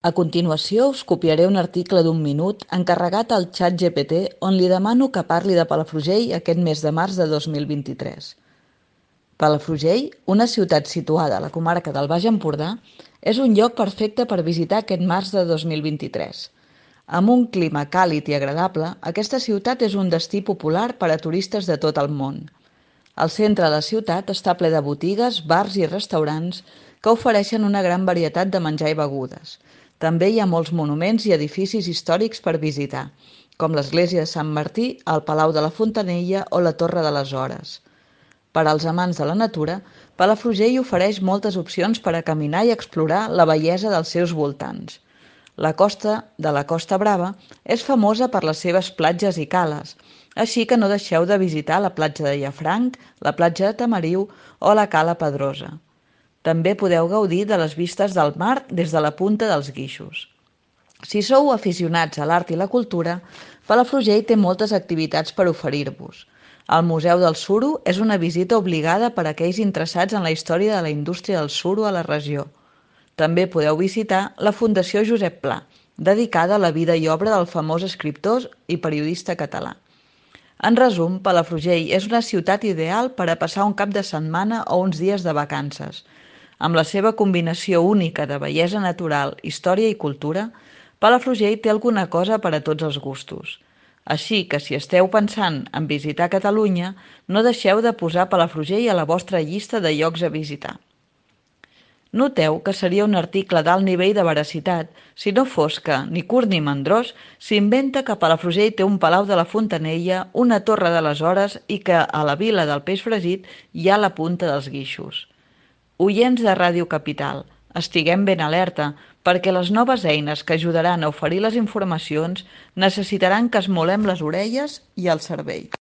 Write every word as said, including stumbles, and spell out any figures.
A continuació us copiaré un article d'un minut encarregat al ChatGPT on li demano que parli de Palafrugell aquest mes de març de dos mil vint-i-tres. Palafrugell, una ciutat situada a la comarca del Baix Empordà, és un lloc perfecte per visitar aquest març de dos mil vint-i-tres. Amb un clima càlid i agradable, aquesta ciutat és un destí popular per a turistes de tot el món. El centre de la ciutat està ple de botigues, bars i restaurants que ofereixen una gran varietat de menjar i begudes. També hi ha molts monuments i edificis històrics per visitar, com l'església de Sant Martí, el Palau de la Fontanella o la Torre de les Hores. Per als amants de la natura, Palafrugell ofereix moltes opcions per a caminar i explorar la bellesa dels seus voltants. La costa de la Costa Brava és famosa per les seves platges i cales, així que no deixeu de visitar la platja de Llafranc, la platja de Tamariu o la Cala Pedrosa. També podeu gaudir de les vistes del mar des de la Punta dels Guixos. Si sou aficionats a l'art i la cultura, Palafrugell té moltes activitats per oferir-vos. El Museu del Suro és una visita obligada per a aquells interessats en la història de la indústria del suro a la regió. També podeu visitar la Fundació Josep Pla, dedicada a la vida i obra del famós escriptor i periodista català. En resum, Palafrugell és una ciutat ideal per a passar un cap de setmana o uns dies de vacances. Amb la seva combinació única de bellesa natural, història i cultura, Palafrugell té alguna cosa per a tots els gustos. Així que si esteu pensant en visitar Catalunya, no deixeu de posar Palafrugell a la vostra llista de llocs a visitar. Noteu que seria un article d'alt nivell de veracitat si no fos que, ni curt ni mandrós, s'inventa que Palafrugell té un Palau de la Fontanella, una Torre de les Hores i que a la Vila del Peix Fregit hi ha la Punta dels Guixos. Oients de Ràdio Capital, estiguem ben alerta, perquè les noves eines que ajudaran a oferir les informacions necessitaran que esmolem les orelles i el cervell.